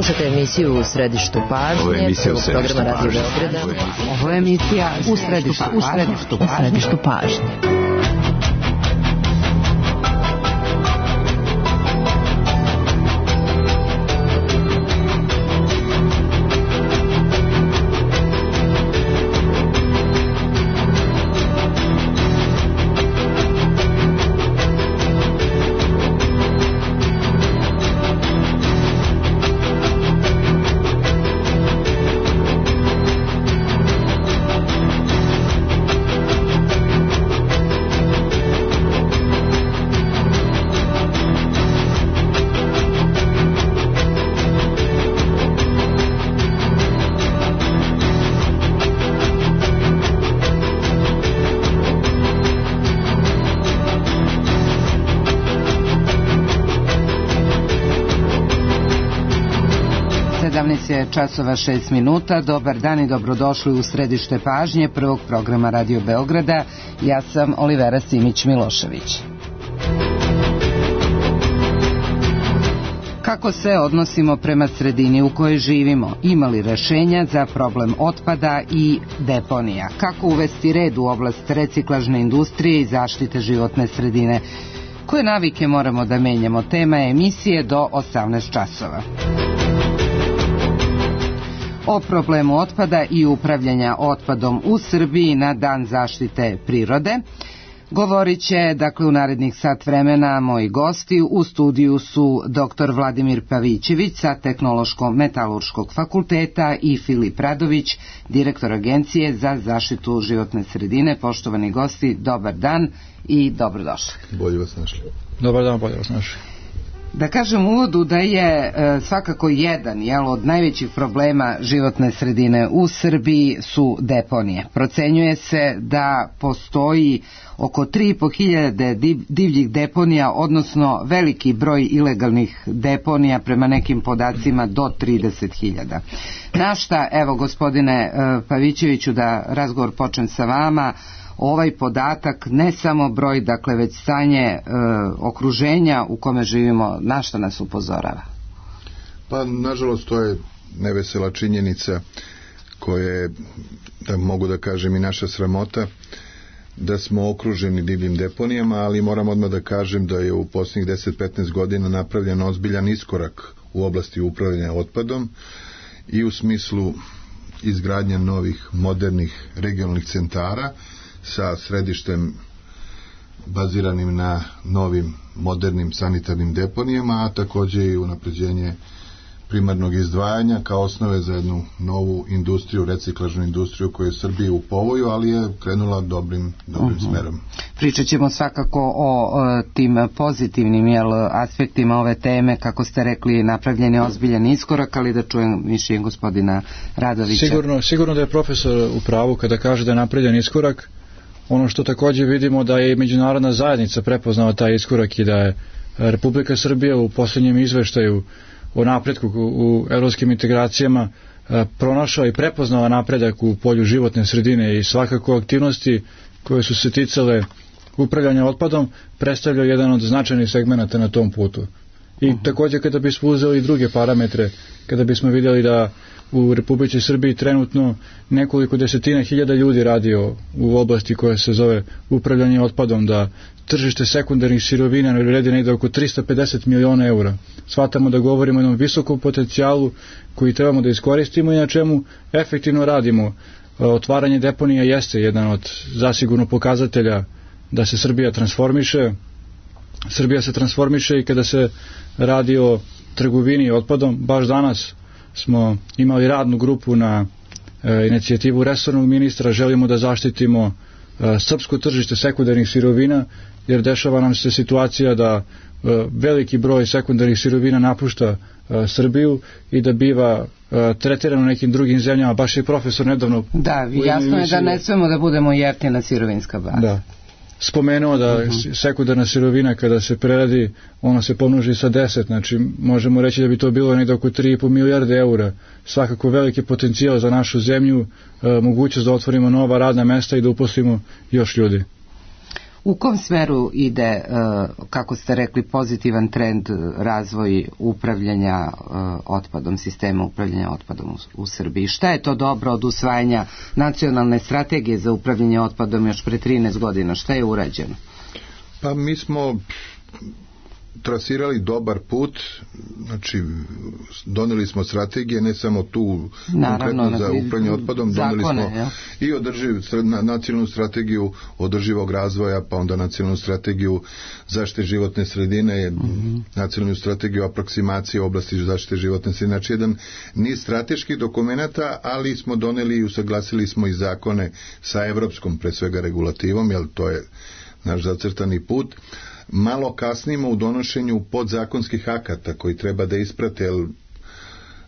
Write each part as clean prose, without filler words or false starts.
Slušate emisiju U središtu pažnje, programa Radio Beograda. Ovo je emisija U središtu pažnje. Časova 6 minuta. Dobar dan i dobrodošli u središte pažnje prvog programa Radio Beograda. Ja sam Olivera Simić-Milošević. Kako se odnosimo prema sredini u kojoj živimo? Ima li rešenja za problem otpada i deponija? Kako uvesti red u oblast reciklažne industrije i zaštite životne sredine? Koje navike moramo da menjamo? Tema je emisije do 18 časova. O problemu otpada i upravljanja otpadom u Srbiji na Dan zaštite prirode govorit će, u narednih sat vremena moji gosti. U studiju su dr. Vladimir Pavićević sa Tehnološko-metalurškog fakulteta i Filip Radović, direktor Agencije za zaštitu životne sredine. Poštovani gosti, dobar dan i dobrodošli. Bolje vas našli. Dobar dan, bolje vas našli. Da kažem u uvodu da je svakako jedan od najvećih problema životne sredine u Srbiji su deponije. Procenjuje se da postoji oko 3.500 divljih deponija, odnosno veliki broj ilegalnih deponija, prema nekim podacima do 30.000. Na šta, evo gospodine Pavićeviću, da razgovor počnem sa vama, ovaj podatak, ne samo broj, već stanje okruženja u kome živimo, na što nas upozorava? Pa, nažalost, to je nevesela činjenica koja je, da mogu da kažem, i naša sramota, da smo okruženi divljim deponijama, ali moram odmah da kažem da je u posljednjih 10-15 godina napravljen ozbiljan iskorak u oblasti upravljanja otpadom i u smislu izgradnja novih, modernih regionalnih centara sa središtem baziranim na novim modernim sanitarnim deponijama, a takođe i unapređenje primarnog izdvajanja kao osnove za jednu novu industriju, reciklažnu industriju koju je Srbija u povoju, ali je krenula dobrim smerom. Pričat ćemo svakako o tim pozitivnim aspektima ove teme, kako ste rekli, napravljen je ozbiljan iskorak, ali da čujem mišljenje gospodina Radovića. Sigurno da je profesor u pravu kada kaže da je napravljen iskorak. Ono što također vidimo da je i međunarodna zajednica prepoznala taj iskorak i da je Republika Srbija u posljednjem izveštaju o napretku u evropskim integracijama pronašao i prepoznala napredak u polju životne sredine i svakako aktivnosti koje su se ticale upravljanja otpadom predstavljaju jedan od značajnih segmenata na tom putu. I također kada bismo uzeli i druge parametre, kada bismo vidjeli da u Republici Srbiji trenutno nekoliko desetina hiljada ljudi radi u oblasti koja se zove upravljanje otpadom, da tržište sekundarnih sirovina vredi negdje oko 350 miliona eura. Shvatamo da govorimo o jednom visokom potencijalu koji trebamo da iskoristimo i na čemu efektivno radimo. Otvaranje deponija jeste jedan od zasigurno pokazatelja da se Srbija transformiše. Srbija se transformiše i kada se radi o trgovini otpadom. Baš danas smo imali radnu grupu na inicijativu resornog ministra. Želimo da zaštitimo srpsko tržište sekundarnih sirovina, jer dešava nam se situacija da veliki broj sekundarnih sirovina napušta Srbiju i da biva tretirano nekim drugim zemljama. Baš je profesor nedavno... Da, jasno je da ne smemo da budemo jeftina sirovinska baza. Da. Spomenuo da sekundarna sirovina kada se preradi, ona se pomnoži sa 10, znači možemo reći da bi to bilo negdje oko 3,5 milijarde eura. Svakako veliki potencijal za našu zemlju, mogućnost da otvorimo nova radna mesta i da uposlimo još ljudi. U kom smeru ide, kako ste rekli, pozitivan trend razvoj upravljanja otpadom, sistema upravljanja otpadom u Srbiji? Šta je to dobro od usvajanja nacionalne strategije za upravljanje otpadom još pre 13 godina? Šta je urađeno? Pa mi smo trasirali dobar put, znači doneli smo strategije, ne samo tu konkretno za upravljanje otpadom, doneli smo i nacionalnu strategiju održivog razvoja, pa onda nacionalnu strategiju zaštite životne sredine, nacionalnu strategiju aproksimacije u oblasti zaštite životne sredine, znači jedan niz strateških dokumenata, ali smo doneli i usaglasili smo i zakone sa evropskom pre svega regulativom, jer to je naš zacrtani put. Malo kasnimo u donošenju podzakonskih akata koji treba da isprate, jer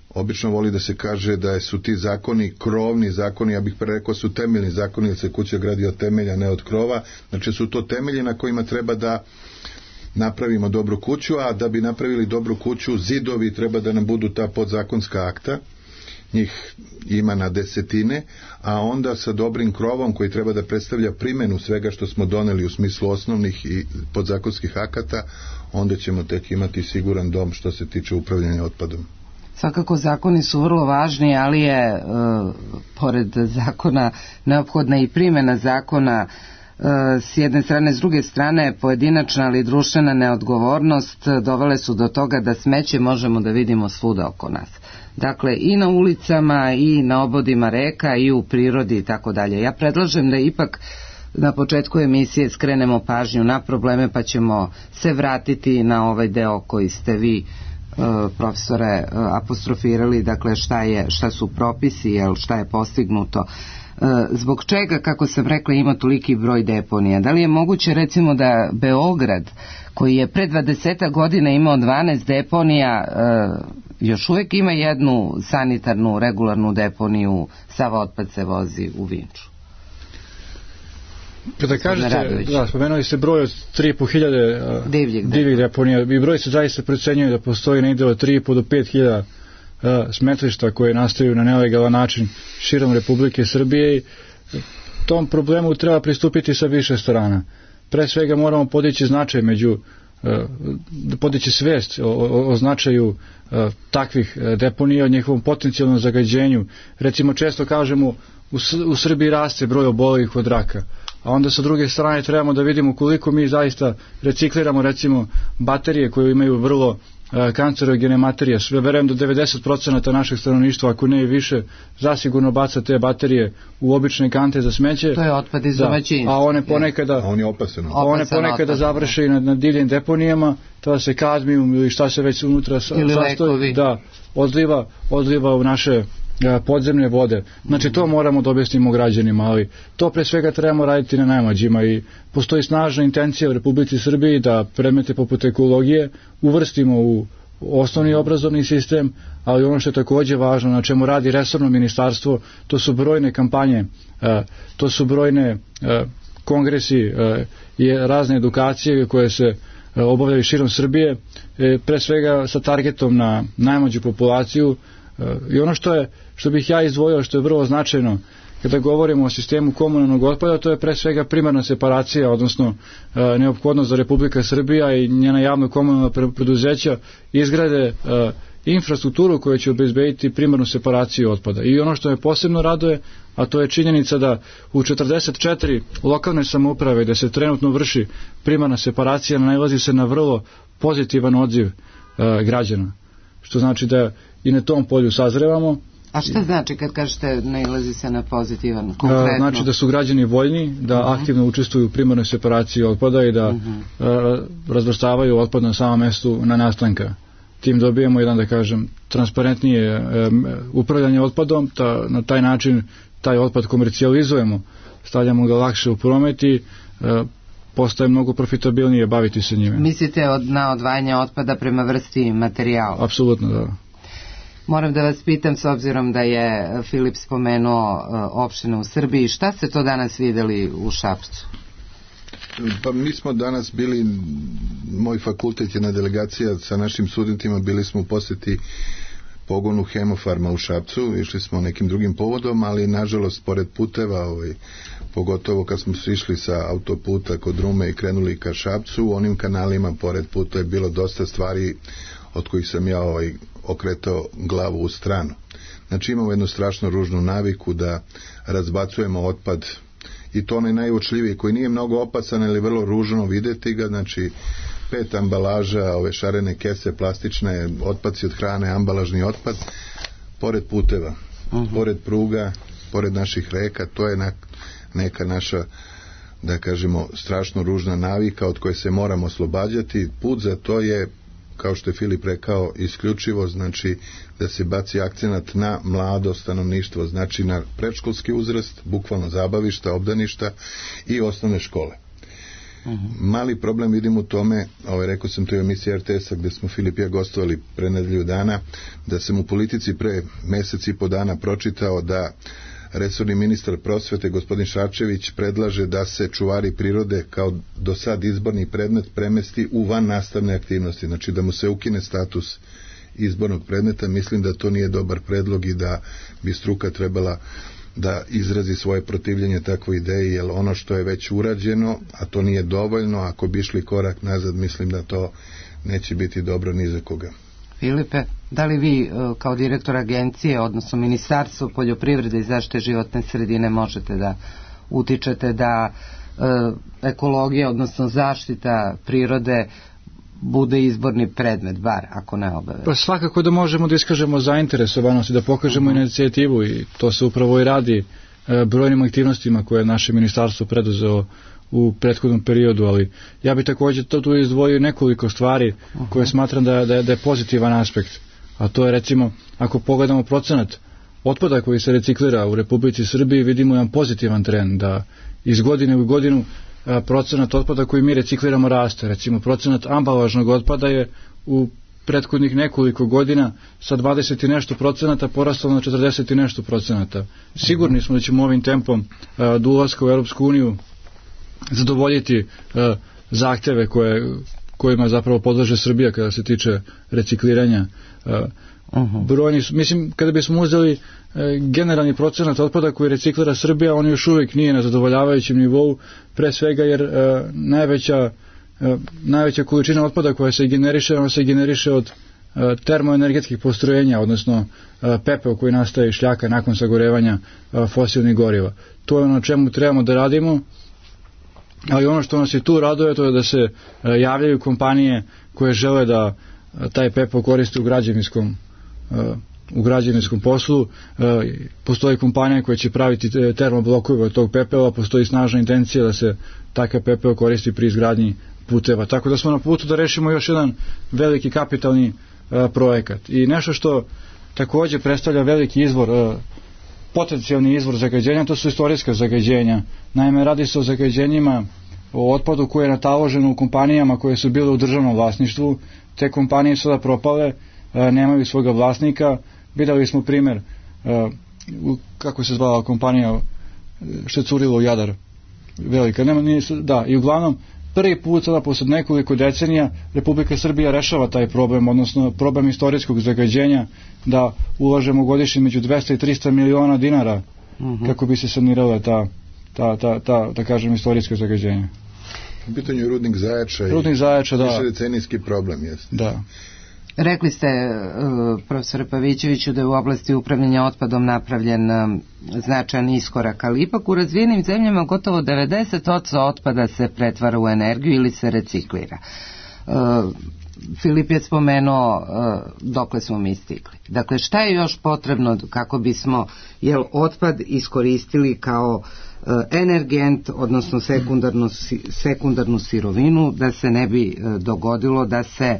obično voli da se kaže da su ti zakoni krovni zakoni, ja bih rekao su temeljni zakoni, jer se kuća gradi od temelja, ne od krova, znači su to temelji na kojima treba da napravimo dobru kuću, a da bi napravili dobru kuću, zidovi treba da nam budu ta podzakonska akta, njih ima na desetine, a onda sa dobrim krovom koji treba da predstavlja primjenu svega što smo doneli u smislu osnovnih i podzakonskih akata, onda ćemo tek imati siguran dom što se tiče upravljanja otpadom. Svakako zakoni su vrlo važni, ali je pored zakona neophodna i primjena zakona s jedne strane, s druge strane pojedinačna ali društvena neodgovornost dovele su do toga da smeće možemo da vidimo svuda oko nas. Dakle, i na ulicama, i na obodima reka, i u prirodi i tako dalje. Ja predlažem da ipak na početku emisije skrenemo pažnju na probleme, pa ćemo se vratiti na ovaj deo koji ste vi, profesore, apostrofirali, dakle šta su propisi, šta je postignuto. Zbog čega, kako sam rekla, ima toliki broj deponija? Da li je moguće recimo da Beograd, koji je pre 20 godina imao 12 deponija, još uvijek ima jednu sanitarnu, regularnu deponiju, sav otpad se vozi u Vinču? Kada kažete, spomenuli ste broj od 3.500 divljih deponija, i broj se zaista procenjuje da postoji negdje od 3.500 do 5.000 smetlišta koje nastaju na nelegalan način širom Republike Srbije, i tom problemu treba pristupiti sa više strana. Pre svega moramo podići značaj podići svest o značaju takvih deponija, o njihovom potencijalnom zagađenju. Recimo, često kažemo u Srbiji raste broj obolelih od raka, a onda sa druge strane trebamo da vidimo koliko mi zaista recikliramo recimo baterije koje imaju vrlo kancerogene materije. Sve verujem da 90% našeg stanovništva, ako ne i više, zasigurno baca te baterije u obične kante za smeće. To je otpad iz domaćinstva. A on je opasan. A one ponekada završe i na divljim deponijama, tada se kadmijum ili šta se već unutra sastoji, odliva u naše podzemne vode. Znači to moramo da objasnimo građanima, ali to pre svega trebamo raditi na najmlađima, i postoji snažna intencija u Republici Srbiji da predmete poput ekologije uvrstimo u osnovni obrazovni sistem, ali ono što je takođe važno, na čemu radi resorno ministarstvo, to su brojne kampanje, to su brojne kongresi i razne edukacije koje se obavljaju širom Srbije, pre svega sa targetom na najmlađu populaciju. I ono što bih ja izdvojio, što je vrlo značajno kada govorimo o sistemu komunalnog otpada, to je pre svega primarna separacija, odnosno neophodnost da Republika Srbija i njena javno komunalna preduzeća izgrade infrastrukturu koja će obezbediti primarnu separaciju otpada. I ono što me posebno raduje, a to je činjenica da u 44 lokalne samouprave gde se trenutno vrši primarna separacija nailazi se na vrlo pozitivan odziv građana, što znači da i na tom polju sazrevamo. A šta znači kad kažete nailazi se na pozitivan, konkretno? Znači da su građani voljni da aktivno učestvuju u primarnoj separaciji otpada i da razvrstavaju otpad na samom mestu na nastanka. Tim dobijemo jedan, da kažem, transparentnije upravljanje otpadom, na taj način taj otpad komercijalizujemo, stavljamo ga lakše u promet i postaje mnogo profitabilnije baviti se njime. Mislite na odvajanje otpada prema vrsti materijala? Apsolutno, da. Moram da vas pitam, s obzirom da je Filip spomenuo opštine u Srbiji, šta ste to danas videli u Šapcu? Pa mi smo danas bili, moj fakultet je na delegacija sa našim studentima, bili smo u poseti pogonu Hemofarma u Šapcu, išli smo nekim drugim povodom, ali nažalost pored puteva, pogotovo kad smo išli sa autoputa kod Rume i krenuli ka Šapcu, u onim kanalima pored puta je bilo dosta stvari od kojih sam ja okretao glavu u stranu. Znači imamo jednu strašno ružnu naviku da razbacujemo otpad, i to onaj najuočljiviji koji nije mnogo opasan, ali vrlo ružno videti ga, znači 5 ambalaža, ove šarene kese plastične, otpaci od hrane, ambalažni otpad pored puteva, pored pruga, pored naših reka. To je neka naša, da kažemo, strašno ružna navika od koje se moramo oslobađati. Put za to je, kao što je Filip rekao, isključivo znači da se baci akcenat na mlado stanovništvo, znači na predškolski uzrast, bukvalno zabavišta, obdaništa i osnovne škole. Mali problem vidim u tome, rekao sam to i u emisiji RTS-a gde smo Filip i ja gostovali pre nedelju dana, da sam u Politici pre mesec i po dana pročitao da resorni ministar prosvete gospodin Šarčević predlaže da se čuvari prirode kao do sad izborni predmet premesti u van nastavne aktivnosti, znači da mu se ukine status izbornog predmeta. Mislim da to nije dobar predlog i da bi struka trebala da izrazi svoje protivljenje takvoj ideji, jer ono što je već urađeno, a to nije dovoljno, ako bi išli korak nazad, mislim da to neće biti dobro ni za koga. Filipe, da li vi kao direktor agencije, odnosno Ministarstvo poljoprivrede i zaštite životne sredine možete da utičete da ekologija, odnosno zaštita prirode bude izborni predmet, bar ako ne obavezno? Pa svakako da možemo da iskažemo zainteresovanost i da pokažemo inicijativu, i to se upravo i radi brojnim aktivnostima koje je naše ministarstvo preduzelo u prethodnom periodu, ali ja bih također tu izdvojio nekoliko stvari koje smatram da je pozitivan aspekt, a to je recimo, ako pogledamo procenat otpada koji se reciklira u Republici Srbiji, vidimo jedan pozitivan trend, da iz godine u godinu procenat otpada koji mi recikliramo raste. Recimo procenat ambalažnog otpada je u prethodnih nekoliko godina sa 20 i nešto procenata porastao na 40 i nešto procenata. Sigurni smo da ćemo ovim tempom do ulaska u Europsku uniju zadovoljiti zahteve kojima zapravo podleže Srbija kada se tiče recikliranja. Brojni, mislim, kada bismo uzeli generalni procenat otpada koji reciklira Srbija, on još uvijek nije na zadovoljavajućem nivou, pre svega jer najveća količina otpada koja se generiše, ona se generiše od termoenergetskih postrojenja, odnosno pepeo koji nastaje iz šljaka nakon sagorevanja fosilnih goriva. To je ono čemu trebamo da radimo, ali ono što nas i tu raduje, to je da se javljaju kompanije koje žele da taj pepeo koriste u građevinskom poslu. Postoji kompanija koja će praviti termoblokove od tog pepela, postoji snažna intencija da se takav pepeo koristi pri izgradnji puteva. Tako da smo na putu da rešimo još jedan veliki kapitalni projekat. I nešto što također predstavlja veliki izvor, potencijalni izvor zagađenja, to su istorijska zagađenja. Naime, radi se o zagađenjima, o otpadu koji je nataložen u kompanijama koje su bile u državnom vlasništvu. Te kompanije sada propale, nemaju svoga vlasnika. Videli smo primjer, kako se zvala kompanija što je curilo u Jadar, velika, i uglavnom prvi put sada posle nekoliko decenija Republika Srbija rešava taj problem, odnosno problem istorijskog zagađenja, da ulažemo godišnje među 200 i 300 miliona dinara kako bi se sanirale da kažem, istorijsko zagađenje. U pitanju je rudnik Zajača da. Višedecenijski problem, jeste. Da. Rekli ste, profesore Pavićeviću, da je u oblasti upravljanja otpadom napravljen značajan iskorak, ali ipak u razvijenim zemljama gotovo 90% otpada se pretvara u energiju ili se reciklira. Filip je spomenuo dokle smo mi stigli. Dakle, šta je još potrebno kako bismo otpad iskoristili kao energent, odnosno sekundarnu sirovinu, da se ne bi dogodilo da se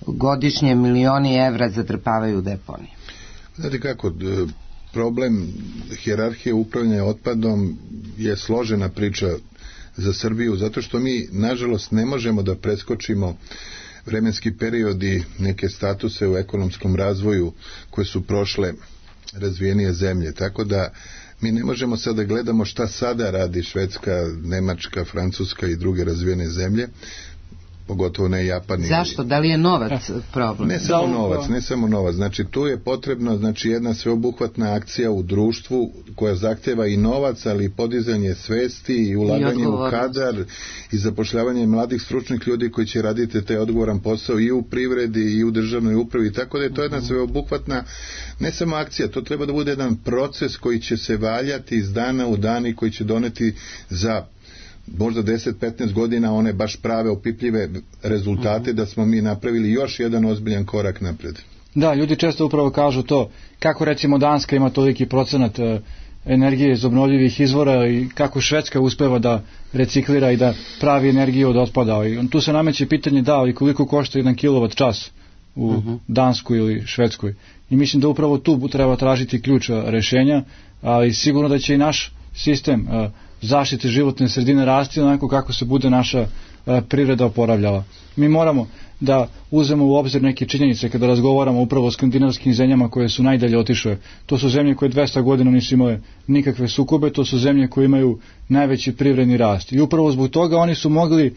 godišnje milioni evra zatrpavaju u deponije? Znate kako, problem hijerarhije upravljanja otpadom je složena priča za Srbiju, zato što mi, nažalost, ne možemo da preskočimo vremenski periodi, neke statuse u ekonomskom razvoju koje su prošle razvijenije zemlje, tako da mi ne možemo sad da gledamo šta sada radi Švedska, Nemačka, Francuska i druge razvijene zemlje. pogotovo ne Japan. Zašto? Da li je novac problem? Ne samo novac, znači tu je potrebno jedna sveobuhvatna akcija u društvu koja zahteva i novac, ali i podizanje svesti i ulaganje u kadar i zapošljavanje mladih stručnih ljudi koji će raditi taj odgovoran posao i u privredi i u državnoj upravi, tako da je to jedna sveobuhvatna, ne samo akcija, to treba da bude jedan proces koji će se valjati iz dana u dan i koji će doneti za možda 10-15 godina one baš prave opipljive rezultate da smo mi napravili još jedan ozbiljan korak napred. Da, ljudi često upravo kažu to, kako recimo Danska ima toliki procenat energije iz obnovljivih izvora i kako Švedska uspeva da reciklira i da pravi energiju od otpada. I tu se nameće pitanje i koliko košta 1 kilovat čas u Danskoj ili Švedskoj. I mislim da upravo tu treba tražiti ključ rešenja, ali sigurno da će i naš sistem zaštite životne sredine rasti onako kako se bude naša priroda oporavljala. Mi moramo da uzmemo u obzir neke činjenice kada razgovaramo upravo o skandinavskim zemljama koje su najdalje otišle. To su zemlje koje 200 godina nisu imale nikakve sukobe, to su zemlje koje imaju najveći privredni rast. I upravo zbog toga oni su mogli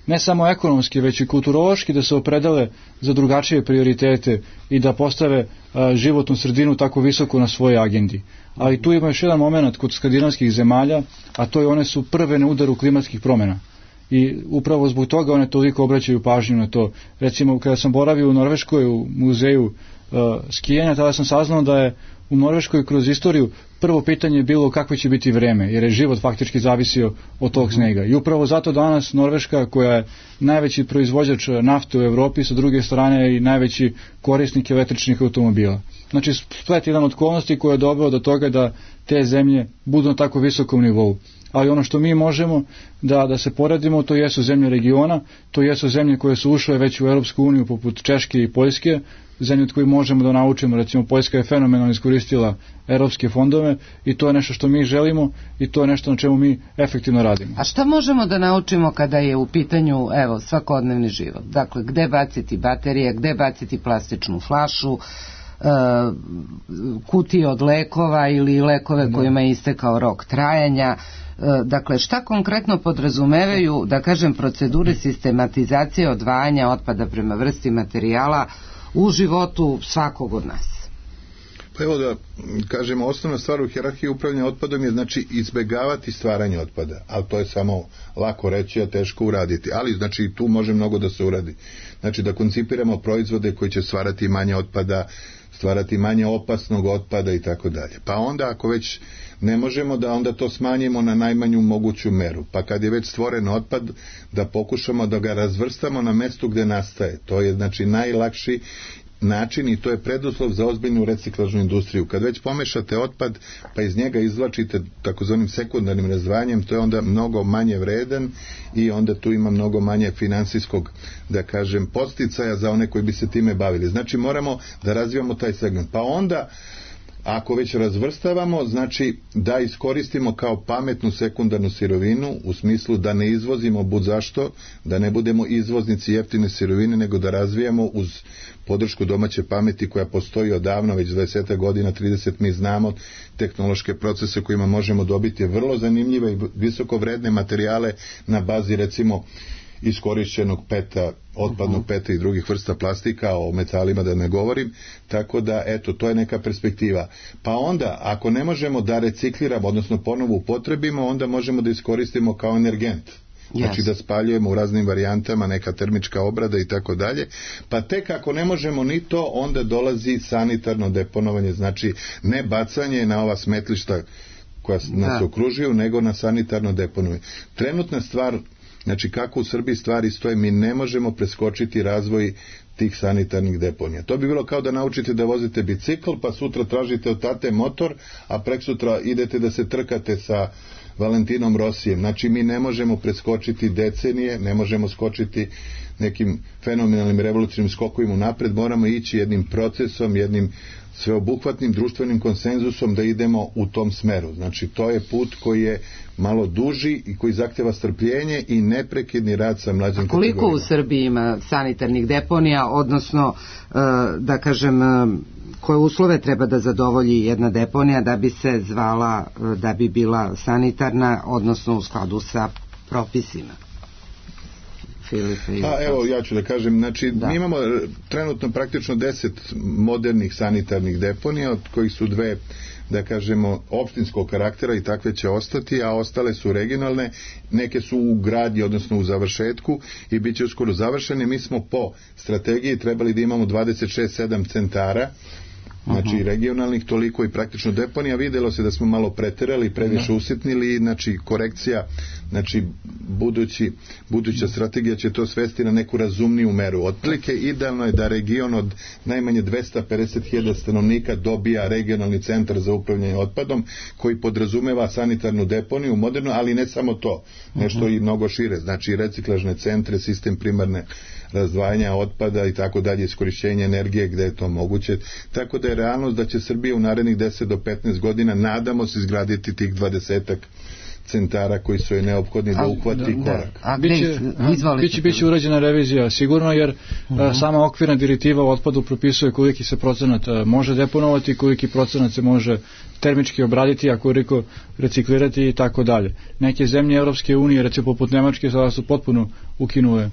ne samo ekonomski, već i kulturološki da se opredele za drugačije prioritete i da postave životnu sredinu tako visoko na svojoj agendi. Ali tu ima još jedan moment kod skandinavskih zemalja, a to je one su prve na udaru klimatskih promjena. I upravo zbog toga one toliko obraćaju pažnju na to. Recimo, kada sam boravio u Norveškoj u muzeju skijanja, tada sam saznao da je u Norveškoj kroz istoriju prvo pitanje bilo kakvo će biti vreme, jer je život faktički zavisio od tog snega. I upravo zato danas Norveška, koja je najveći proizvođač nafte u Evropi, sa druge strane i najveći korisnik električnih automobila. Znači, splet jedan od okolnosti koja je doveo do toga da te zemlje budu na tako visokom nivou. Ali ono što mi možemo da se poredimo, to jesu zemlje regiona, to jesu zemlje koje su ušle već u Europsku uniju poput Češke i Poljske, zemlje od koje možemo da naučimo. Recimo, Poljska je fenomenalno iskoristila europske fondove i to je nešto što mi želimo i to je nešto na čemu mi efektivno radimo. A šta možemo da naučimo kada je u pitanju svakodnevni život? Dakle, gde baciti baterije, gde baciti plastičnu flašu, kutije od lekova ili lekove kojima je istekao rok trajanja. Dakle, šta konkretno podrazumevaju, da kažem, procedure sistematizacije odvajanja otpada prema vrsti materijala u životu svakog od nas? Pa evo da kažemo, osnovna stvar u hijerarhiji upravljanja otpadom je znači izbegavati stvaranje otpada, ali to je samo lako reći, a teško uraditi, ali znači tu može mnogo da se uradi. Znači da koncipiramo proizvode koji će stvarati manje otpada, stvarati manje opasnog otpada i tako dalje. Pa onda ako već ne možemo, da onda to smanjimo na najmanju moguću meru. Pa kad je već stvoren otpad, da pokušamo da ga razvrstamo na mestu gde nastaje. To je znači najlakši način i to je preduslov za ozbiljnu reciklažnu industriju. Kad već pomešate otpad pa iz njega izvlačite takozvanim sekundarnim razdvajanjem, to je onda mnogo manje vredan i onda tu ima mnogo manje finansijskog, da kažem, podsticaja za one koji bi se time bavili. Znači moramo da razvijamo taj segment. Pa onda ako već razvrstavamo, znači da iskoristimo kao pametnu sekundarnu sirovinu, u smislu da ne izvozimo budzašto, da ne budemo izvoznici jeftine sirovine, nego da razvijamo uz podršku domaće pameti koja postoji odavno, već 20 godina, 30, mi znamo tehnološke procese kojima možemo dobiti vrlo zanimljive i visoko vredne materijale na bazi recimo iskorišćenog peta, otpadnog peta i drugih vrsta plastika, o metalima da ne govorim, tako da eto, to je neka perspektiva. Pa onda, ako ne možemo da recikliramo, odnosno ponovo upotrebimo, onda možemo da iskoristimo kao energent. Znači da spaljujemo u raznim varijantama, neka termička obrada i tako dalje, pa tek ako ne možemo ni to, onda dolazi sanitarno deponovanje, znači ne bacanje na ova smetlišta koja nas okružuju, nego na sanitarno deponovanje. Trenutna stvar, znači kako u Srbiji stvari stoje, mi ne možemo preskočiti razvoj tih sanitarnih deponija. To bi bilo kao da naučite da vozite bicikl, pa sutra tražite od tate motor, a preksutra idete da se trkate sa Valentinom Rosijem. Znači mi ne možemo preskočiti decenije, ne možemo skočiti nekim fenomenalnim revolucionarnim skokovima napred, moramo ići jednim procesom, jednim sveobuhvatnim društvenim konsenzusom da idemo u tom smeru. Znači to je put koji je malo duži i koji zahteva strpljenje i neprekidni rad sa mlađim kategorijama. A koliko u Srbiji ima sanitarnih deponija, odnosno da kažem, koje uslove treba da zadovolji jedna deponija da bi se zvala, da bi bila sanitarna, odnosno u skladu sa propisima? Filipe? Evo, ja ću da kažem, znači mi imamo trenutno praktično 10 modernih sanitarnih deponija, od kojih su 2, da kažemo, opštinskog karaktera i takve će ostati, a ostale su regionalne, neke su u gradnji, odnosno u završetku i bit će uskoro završene. Mi smo po strategiji trebali da imamo 26-7 centara, znači regionalnih, toliko i praktično deponija. Videlo se da smo malo preterali, previše usitnili, znači korekcija, znači buduća strategija će to svesti na neku razumniju meru. Otprilike idealno je da region od najmanje 250.000 stanovnika dobija regionalni centar za upravljanje otpadom, koji podrazumeva sanitarnu deponiju modernu, ali ne samo to, nešto i mnogo šire, znači reciklažne centre, sistem primarne razdvajanja otpada i tako dalje, iskorišćenje energije gde je to moguće, tako da je realnost da će Srbija u narednih 10 do 15 godina, nadamo se, izgraditi tih 20 centara koji su je neophodni da uhvati korak. Biće urađena revizija sigurno, jer sama okvirna direktiva o otpadu propisuje koliki se procenat može deponovati, koliki procenat se može termički obraditi, a koliko reciklirati i tako dalje. Neke zemlje Evropske unije, recimo poput Nemačke, sada su potpuno ukinule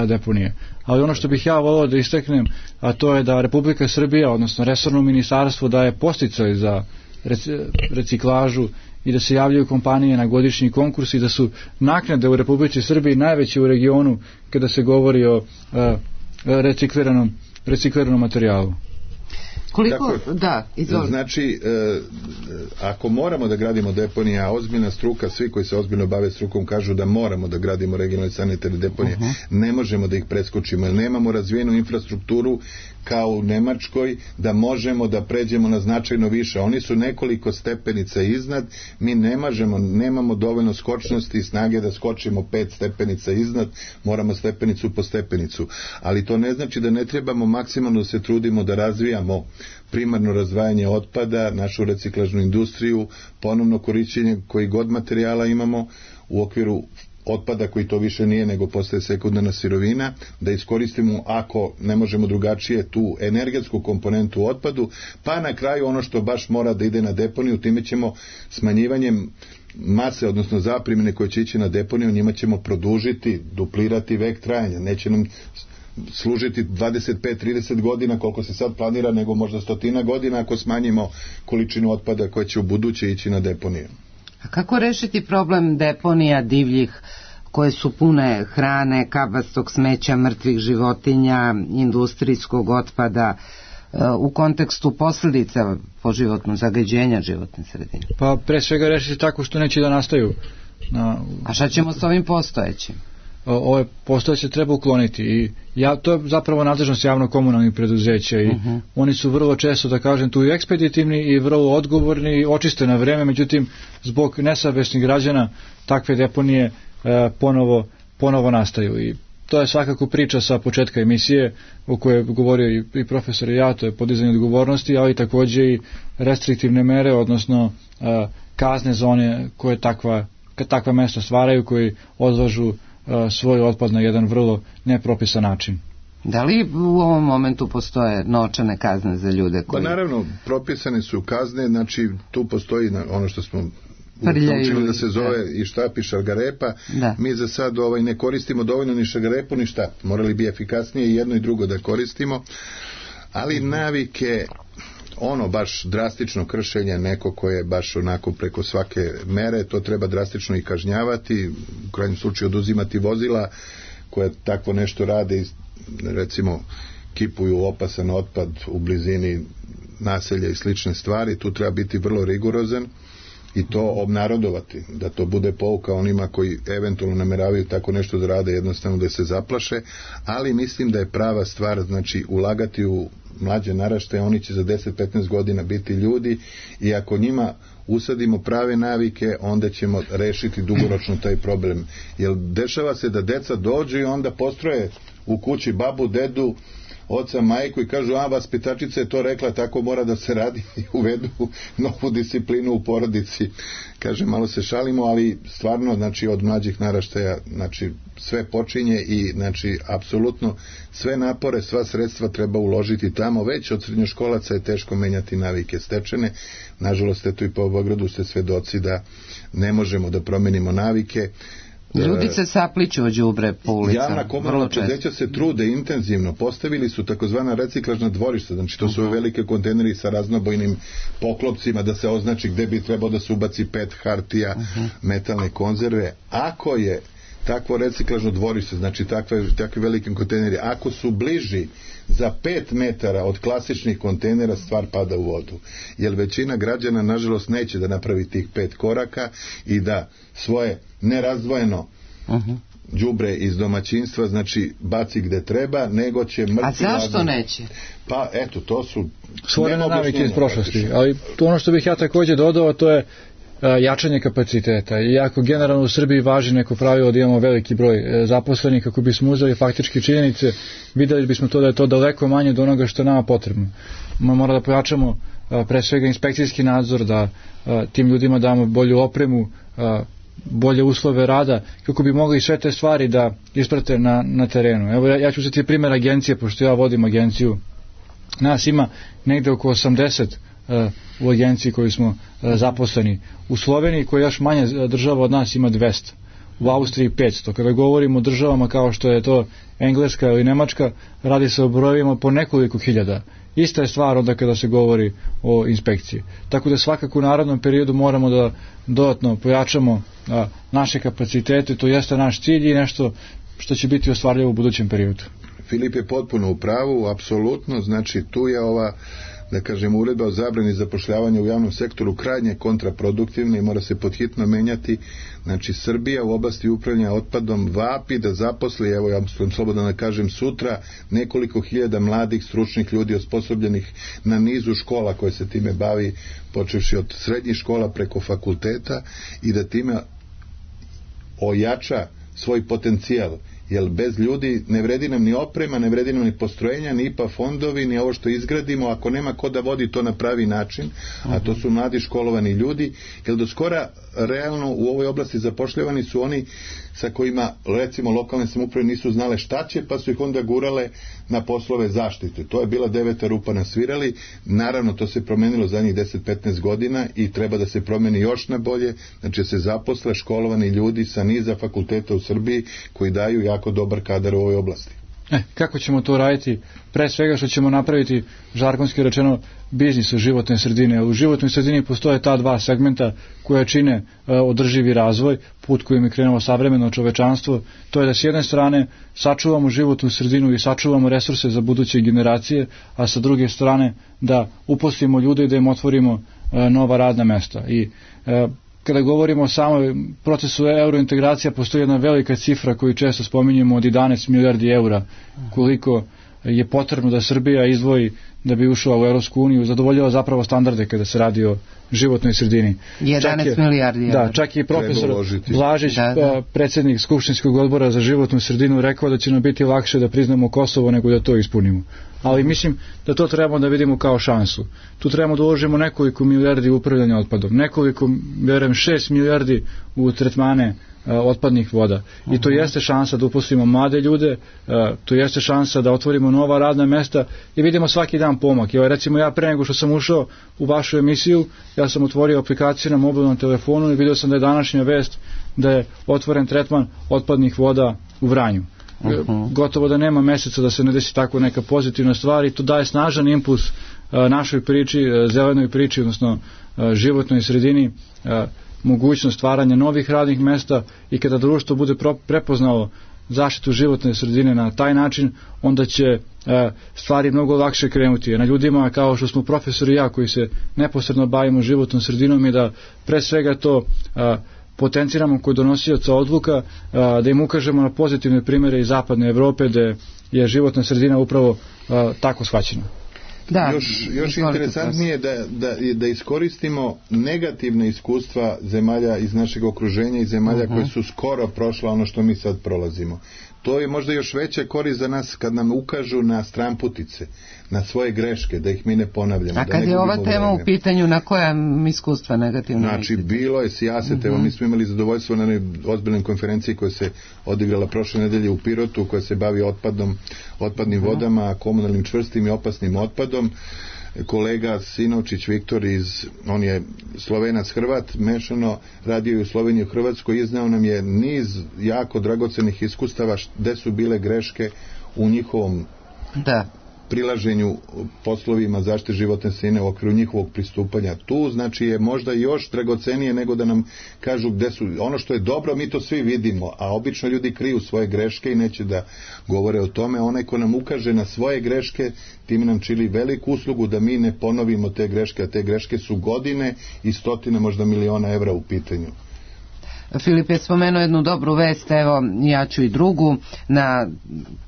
deponije. Ali ono što bih ja volio da istaknem, a to je da Republika Srbija, odnosno resorno ministarstvo, daje podsticaj za reciklažu i da se javljaju kompanije na godišnji konkurs i da su naknade u Republici Srbiji najveće u regionu kada se govori o recikliranom materijalu. Koliko? Da, izvolite. Znači, ako moramo da gradimo deponije, a ozbiljna struka, svi koji se ozbiljno bave strukom kažu da moramo da gradimo regionalne sanitarne deponije, ne možemo da ih preskočimo, jer nemamo razvijenu infrastrukturu kao u Nemačkoj, da možemo da pređemo na značajno više. Oni su nekoliko stepenica iznad, mi nemamo dovoljno skočnosti i snage da skočimo 5 stepenica iznad, moramo stepenicu po stepenicu. Ali to ne znači da ne trebamo maksimalno da se trudimo da razvijamo primarno razdvajanje otpada, našu reciklažnu industriju, ponovno korišćenje koji god materijala imamo u okviru otpada koji to više nije nego postaje sekundarna sirovina, da iskoristimo, ako ne možemo drugačije, tu energetsku komponentu u otpadu, pa na kraju ono što baš mora da ide na deponiju, time ćemo smanjivanjem mase, odnosno zaprimine koje će ići na deponiju, njima ćemo produžiti, duplirati vek trajanja, neće nam služiti 25-30 godina koliko se sad planira, nego možda 100 godina ako smanjimo količinu otpada koja će u buduće ići na deponiju. A kako rešiti problem deponija divljih koje su pune hrane, kabastog smeća, mrtvih životinja, industrijskog otpada u kontekstu posljedica po životno zagađenja životne sredine? Pa pre svega rešiti tako što neće da nastaju. A šta ćemo s ovim postojećim? Ove postojeće treba ukloniti i to je zapravo nadležnost javno-komunalnih preduzeća i oni su vrlo često, da kažem, tu i ekspeditivni i vrlo odgovorni i očiste na vreme, međutim zbog nesavesnih građana takve deponije ponovo nastaju i to je svakako priča sa početka emisije o kojoj je govorio i profesor i ja, to je podizanje odgovornosti, ali takođe i restriktivne mere, odnosno kazne zone koje takva mesta stvaraju, koji odlažu svoj otpad na jedan vrlo nepropisan način. Da li u ovom momentu postoje novčane kazne za ljude koji... Pa naravno, propisane su kazne, znači tu postoji ono što smo učili da se zove i štap i šargarepa. Mi za sad ne koristimo dovoljno ni šargarepu ni štap. Morali bi efikasnije i jedno i drugo da koristimo, ali navike, baš drastično kršenje, neko koje je baš onako preko svake mere, to treba drastično i kažnjavati, u krajnjem slučaju oduzimati vozila koje takvo nešto rade i recimo kipuju opasan otpad u blizini naselja i slične stvari. Tu treba biti vrlo rigorozan i to obnarodovati, da to bude pouka onima koji eventualno nameravaju tako nešto da rade, jednostavno da se zaplaše, ali mislim da je prava stvar, znači ulagati u mlađe naraštaje, oni će za 10-15 godina biti ljudi i ako njima usadimo prave navike, onda ćemo rešiti dugoročno taj problem. Jer dešava se da deca dođu i onda postroje u kući babu, dedu, oca, majku i kažu, vaspitačica je to rekla, tako mora da se radi i uvedu novu disciplinu u porodici. Kaže, malo se šalimo, ali stvarno, znači, od mlađih naraštaja, znači, sve počinje i, znači, apsolutno sve napore, sva sredstva treba uložiti tamo. Već od srednjoškolaca je teško menjati navike stečene. Nažalost, eto i po Beogradu ste svedoci da ne možemo da promenimo navike. Ljudi se sapliću od đubre po ulicama. Javna komunalna preduzeća se trude intenzivno, postavili su takozvana reciklažna dvorišta, znači to su velike kontejneri sa raznobojnim poklopcima da se označi gde bi trebao da se ubaci PET, hartija, metalne konzerve. Ako je takvo reciklažno dvorište, znači takvi veliki kontejneri, ako su bliži za 5 metara od klasičnih kontejnera, stvar pada u vodu. Jer većina građana, nažalost, neće da napravi tih 5 koraka i da svoje nerazdvojeno đubre iz domaćinstva, znači baci gde treba, nego će mrtvi... A zašto neće? Pa eto, to su stvorene navike iz prošlosti, ali to ono što bih ja takođe dodao, to je jačanje kapaciteta. Iako generalno u Srbiji važi neko pravilo da imamo veliki broj zaposlenih, kako bismo uzeli faktički činjenice, videli bismo to da je to daleko manje od onoga što je nama potrebno. Mora da pojačamo pre svega inspekcijski nadzor, da tim ljudima damo bolju opremu, bolje uslove rada, kako bi mogli sve te stvari da isprate na terenu. Evo, ja ću uzeti primjer agencije, pošto ja vodim agenciju. Nas ima negde oko 80 u agenciji koji smo zaposleni. U Sloveniji, koja još manje država od nas, ima 200. U Austriji 500. Kada govorimo o državama kao što je to Engleska ili Nemačka, radi se o brojevima po nekoliko hiljada. Ista je stvar onda kada se govori o inspekciji. Tako da svakako u narednom periodu moramo da dodatno pojačamo naše kapacitete, to jeste naš cilj i nešto što će biti ostvarljivo u budućem periodu. Filip je potpuno u pravu, apsolutno, znači tu je ova, da kažem, uredba o zabrani zapošljavanja u javnom sektoru krajnje kontraproduktivna i mora se podhitno menjati. Znači Srbija u oblasti upravljanja otpadom vapi da zaposli, evo ja slobodno da kažem, sutra nekoliko hiljada mladih stručnih ljudi osposobljenih na nizu škola koje se time bavi, počevši od srednjih škola preko fakulteta, i da time ojača svoj potencijal. Jer bez ljudi ne vredi nam ni oprema, ne vredi nam ni postrojenja, ni IPA fondovi, ni ovo što izgradimo, ako nema ko da vodi to na pravi način, a to su mladi školovani ljudi, jer do skora realno u ovoj oblasti zapošljavani su oni sa kojima, recimo, lokalne samouprave nisu znale šta će, pa su ih onda gurale na poslove zaštite. To je bila 9. rupa na svirali. Naravno, to se promenilo zadnjih 10-15 godina i treba da se promeni još na bolje, znači se zaposle školovani ljudi sa niza fakulteta u Srbiji koji daju jako dobar kadar u ovoj oblasti. Kako ćemo to raditi? Pre svega što ćemo napraviti, žargonski rečeno, biznis u životnoj sredini. U životnoj sredini postoje ta dva segmenta koja čine održivi razvoj, put kojim je krenulo savremeno čovečanstvo. To je da s jedne strane sačuvamo životnu sredinu i sačuvamo resurse za buduće generacije, a sa druge strane da uposlimo ljude i da im otvorimo nova radna mesta. I kada govorimo o samom procesu eurointegracija, postoji jedna velika cifra koju često spominjemo od 11 milijardi eura, koliko je potrebno da Srbija izdvoji da bi ušla u Europsku uniju, zadovoljila zapravo standarde kada se radi o životnoj sredini. 11 milijardi eura. Da, čak i profesor Blažić, predsjednik Skupštinskog odbora za životnu sredinu, rekao da će nam biti lakše da priznamo Kosovo nego da to ispunimo. Ali mislim da to trebamo da vidimo kao šansu. Tu trebamo da uložimo nekoliko milijardi u upravljanje otpadom, nekoliko, vjerujem 6 milijardi u tretmane otpadnih voda. I to jeste šansa da uposlimo mlade ljude, to jeste šansa da otvorimo nova radna mesta i vidimo svaki dan pomak. Recimo ja pre nego što sam ušao u vašu emisiju, ja sam otvorio aplikaciju na mobilnom telefonu i vidio sam da je današnja vest da je otvoren tretman otpadnih voda u Vranju. Gotovo da nema meseca da se ne desi tako neka pozitivna stvar i to daje snažan impuls našoj priči, zelenoj priči, odnosno životnoj sredini, mogućnost stvaranja novih radnih mesta, i kada društvo bude prepoznalo zaštitu životne sredine na taj način, onda će stvari mnogo lakše krenuti. Na ljudima kao što smo profesori i ja koji se neposredno bavimo životnom sredinom i da pre svega to potenciramo kod donosioca odluka, da im ukažemo na pozitivne primjere iz zapadne Evrope gde je životna sredina upravo tako shvaćena. Da, još interesantnije da iskoristimo negativne iskustva zemalja iz našeg okruženja i zemalja koje su skoro prošla ono što mi sad prolazimo. To je možda još veća korist za nas kad nam ukažu na stranputice, na svoje greške, da ih mi ne ponavljamo. A kad je ova tema u pitanju, na koja iskustva negativno? Znači, bilo je sijaset, evo mi smo imali zadovoljstvo na jednoj ozbiljnoj konferenciji koja se odigrala prošle nedelje u Pirotu, koja se bavi otpadom otpadnim vodama, komunalnim čvrstim i opasnim otpadom. Kolega Sinovčić Viktor, on je Slovenac Hrvat, mešano, radio je u Sloveniji u Hrvatskoj, izneo nam je niz jako dragocenih iskustava gde su bile greške u njihovom prilaženju poslovima zaštite životne sredine u okviru njihovog pristupanja. Tu znači je možda još dragocenije nego da nam kažu gde su, ono što je dobro mi to svi vidimo, a obično ljudi kriju svoje greške i neće da govore o tome. Onaj ko nam ukaže na svoje greške, tim nam čini veliku uslugu da mi ne ponovimo te greške, a te greške su godine i stotine, možda miliona evra u pitanju. Filip je spomenuo jednu dobru vest, evo ja ću i drugu,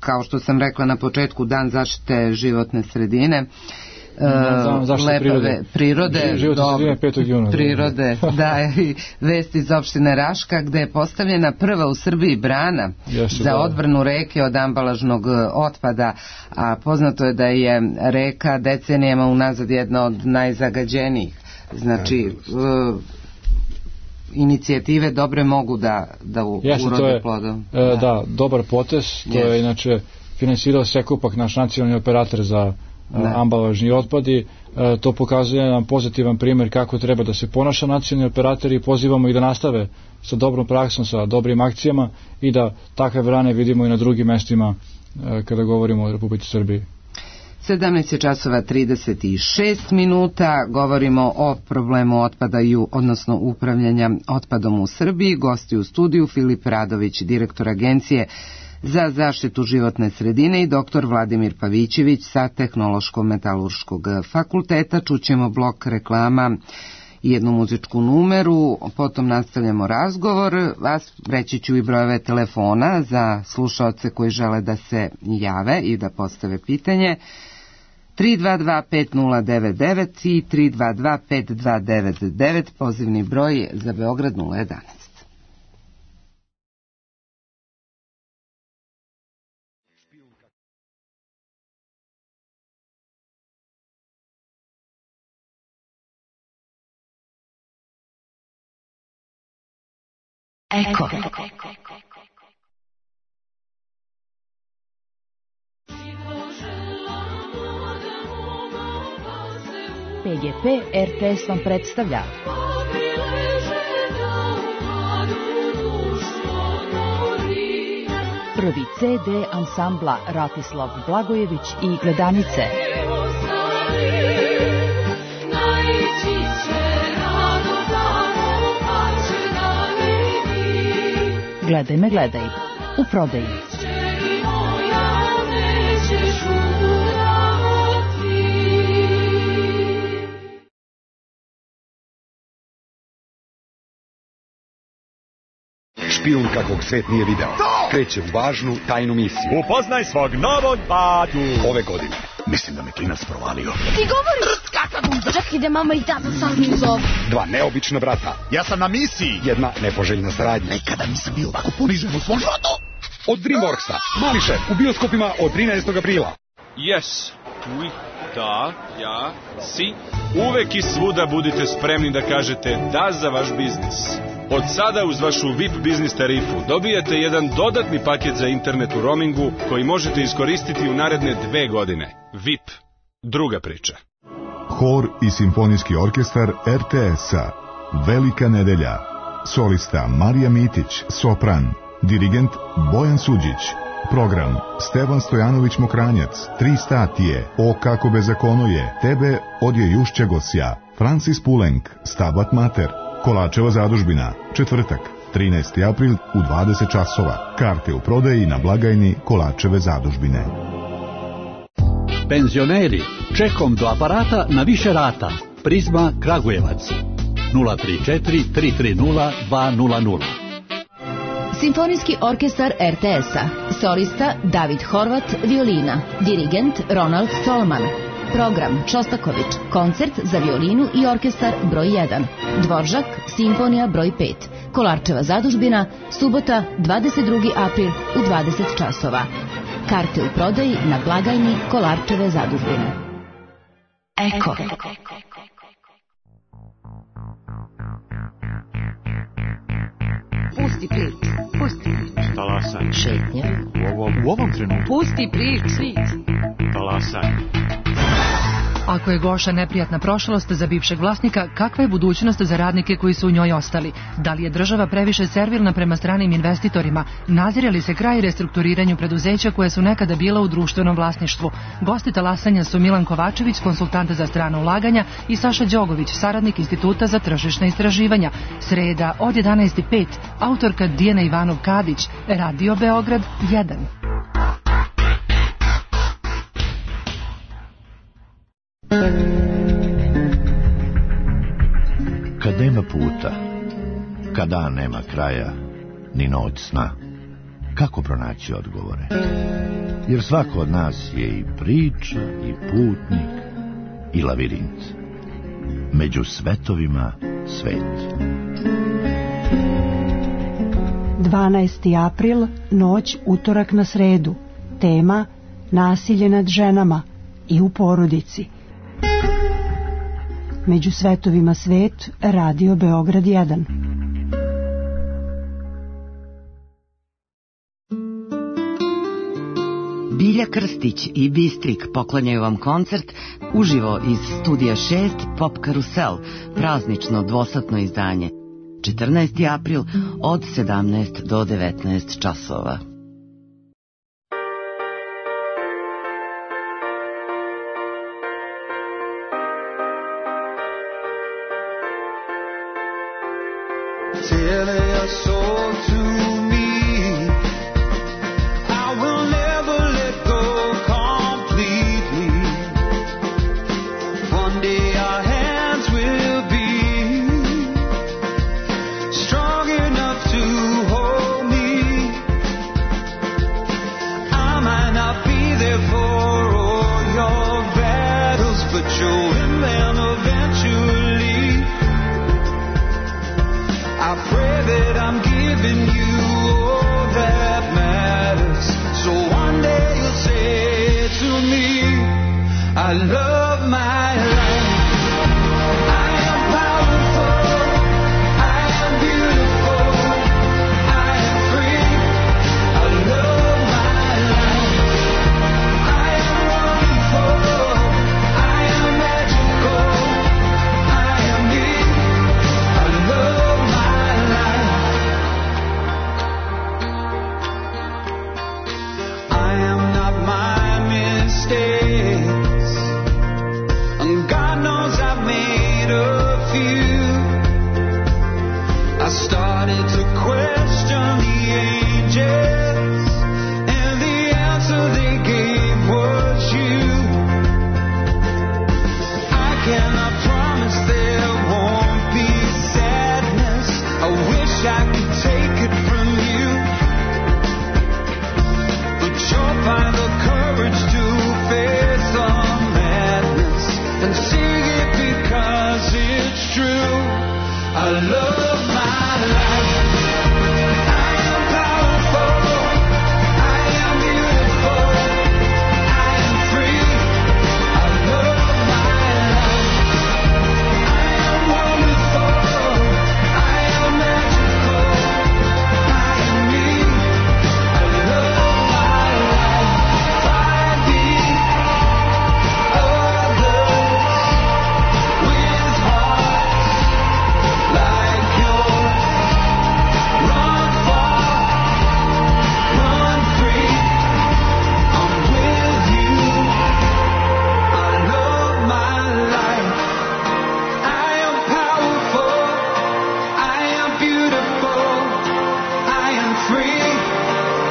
kao što sam rekla na početku, Dan zaštite životne sredine, lepave prirode, prirode, i vest iz opštine Raška, gde je postavljena prva u Srbiji brana za odbranu reke od ambalažnog otpada, a poznato je da je reka decenijama unazad jedna od najzagađenijih. Znači, inicijative dobre mogu da urode plodom. Da, dobar potez, to je inače finansirao Sekupak, naš nacionalni operator za ambalažni otpad, i to pokazuje nam pozitivan primjer kako treba da se ponaša nacionalni operator, i pozivamo ih da nastave sa dobrom praksom, sa dobrim akcijama i da takve brane vidimo i na drugim mestima kada govorimo o Republici Srbiji. 17:36, govorimo o problemu otpada, odnosno upravljanja otpadom u Srbiji. Gosti u studiju Filip Radović, direktor Agencije za zaštitu životne sredine, i dr. Vladimir Pavićević sa Tehnološko-metalurškog fakulteta. Čućemo blok reklama i jednu muzičku numeru, potom nastavljamo razgovor, a reći ću i brojeve telefona za slušaoce koji žele da se jave i da postave pitanje. 322-5099 i 322-5299, pozivni broj za Beograd 011. Eko. PGP RTS vam predstavlja prvi CD ansambla Ratislav Blagojević i Gledanice. Gledaj me, gledaj, u prodaji. Špijun kakvog svet nije video. Kreće u važnu tajnu misiju. Upoznaj svog novog batu. Ove godine. Mislim da me klinac provalio. Ti govoriš kakav uzor. Čak ide mama i tata sam mi uzor. Dva neobična brata. Ja sam na misiji. Jedna nepoželjna saradnja. Nekada nisam bio ovako ponižen u svom životu. Od Dreamworksa. Mali šef u bioskopima od 13. aprila. Yes. Oui. Da. Ja. Si. Uvek i svuda budite spremni da kažete da za vaš biznis. Od sada uz vašu VIP biznis tarifu dobijete jedan dodatni paket za internet u roamingu koji možete iskoristiti u naredne 2 godine. VIP. Druga priča. Hor i simfonijski orkestar RTS-a. Velika nedelja. Solista Marija Mitić, sopran. Dirigent Bojan Suđić. Program Stevan Stojanović Mokranjac. 3 statije. O kako bezakono je. Tebe odje Jušća Gosja. Francis Pulenk. Stabat Mater. Kolačeva zadužbina, četvrtak, 13. april u 20 časova. Karte u prodaji na blagajni Kolačeve zadužbine. Penzioneri, čekom do aparata na više rata. Prizma Kragujevac, 034 330 200. Simfonijski orkestar RTS-a. Solista David Horvat, violina. Dirigent Ronald Stolman. Program Šostaković, koncert za violinu i orkestar broj 1. Dvoržak, simfonija broj 5. Kolarčeva zadužbina, subota 22. april u 20 časova. Karte u prodaji na blagajni Kolarčeve zadužbine. Eko. Pusti ključ, pusti ključ. Talas. Talasaj. Šetnja. U ovom trenutku. Pusti priči. Talasaj. Ako je Goša neprijatna prošlost za bivšeg vlasnika, kakva je budućnost za radnike koji su u njoj ostali? Da li je država previše servilna prema stranim investitorima? Nazire li se kraj restrukturiranju preduzeća koje su nekada bila u društvenom vlasništvu? Gosti talasanja su Milan Kovačević, konsultant za strana ulaganja, i Saša Đogović, saradnik Instituta za tržišna istraživanja. Sreda od 11:05, autorka Dijana Ivanov-Kadić, Radio Beograd 1. Kad nema puta, kada nema kraja, ni noć sna, kako pronaći odgovore? Jer svako od nas je i priča, i putnik, i lavirint. Među svetovima svet. 12. april, noć utorak na sredu. Tema: nasilje nad ženama i u porodici. Među svetovima svet, Radio Beograd 1. Bilja Krstić i Bistrik poklanjaju vam koncert uživo iz Studija 6 Pop Karusel, praznično dvosatno izdanje. 14. april od 17 do 19 časova. Telling your soul to me, I will never let go completely. One day our hands will be strong enough to hold me. I might not be there for all your battles, but you'll win them eventually. I pray that I'm giving you all that matters, so one day you'll say to me, I love my life. I am powerful, I am beautiful, I am free. I love my life. I am wonderful, I am magical, I am me. I love my life. I am not my mistakes, and God knows I've made a few. I started to question the angels, and the answer they gave was you. I cannot promise there won't be sadness. I wish I could take it from you, but you'll find the courage to face the madness and sing it because it's true. I love my life. I am powerful, I am beautiful, I am free. I love my life. I am wonderful, I am magical, I am me. I love my life. Find the others with hearts like yours. Run far, run free. I'm with you. I love my life. I am powerful, I am beautiful, I am free.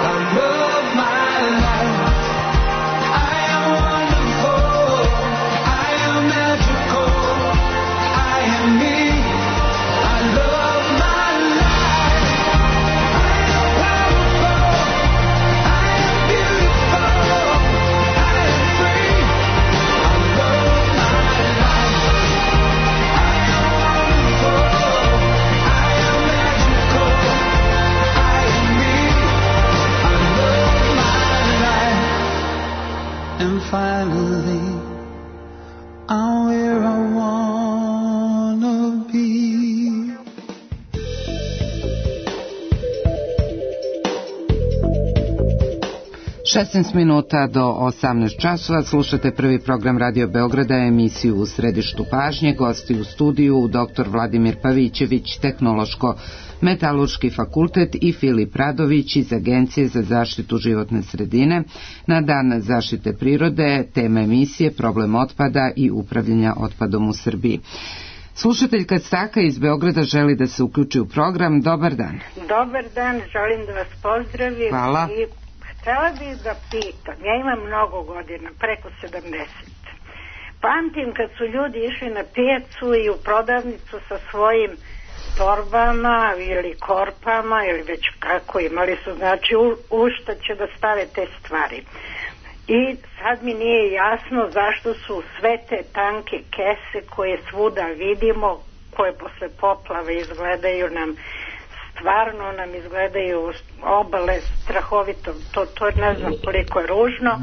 I love my life. I am wonderful, I am magical, I am me. I love my life. I am powerful, I am beautiful, I am free. I love my life. I am wonderful, I am magical, I am me. I love my life. And finally, I'm where I wanna be. 16 minuta do 18 časova slušate prvi program Radio Beograda, emisiju U središtu pažnje. Gosti u studiju dr. Vladimir Pavićević, Tehnološko-metalurški fakultet, i Filip Radović iz Agencije za zaštitu životne sredine. Na dan zaštite prirode tema emisije problem otpada i upravljanja otpadom u Srbiji. Slušateljka Staka iz Beograda želi da se uključi u program. Dobar dan. Dobar dan, želim da vas pozdravim. Hvala. I htela bih da pitam, ja imam mnogo godina, preko 70. Pamtim kad su ljudi išli na pijacu i u prodavnicu sa svojim torbama ili korpama ili već kako imali su, znači u šta će da stave te stvari. I sad mi nije jasno zašto su sve te tanke kese koje svuda vidimo, koje posle poplave izgledaju nam, stvarno nam izgledaju obale strahovito, to ne znam koliko je ružno.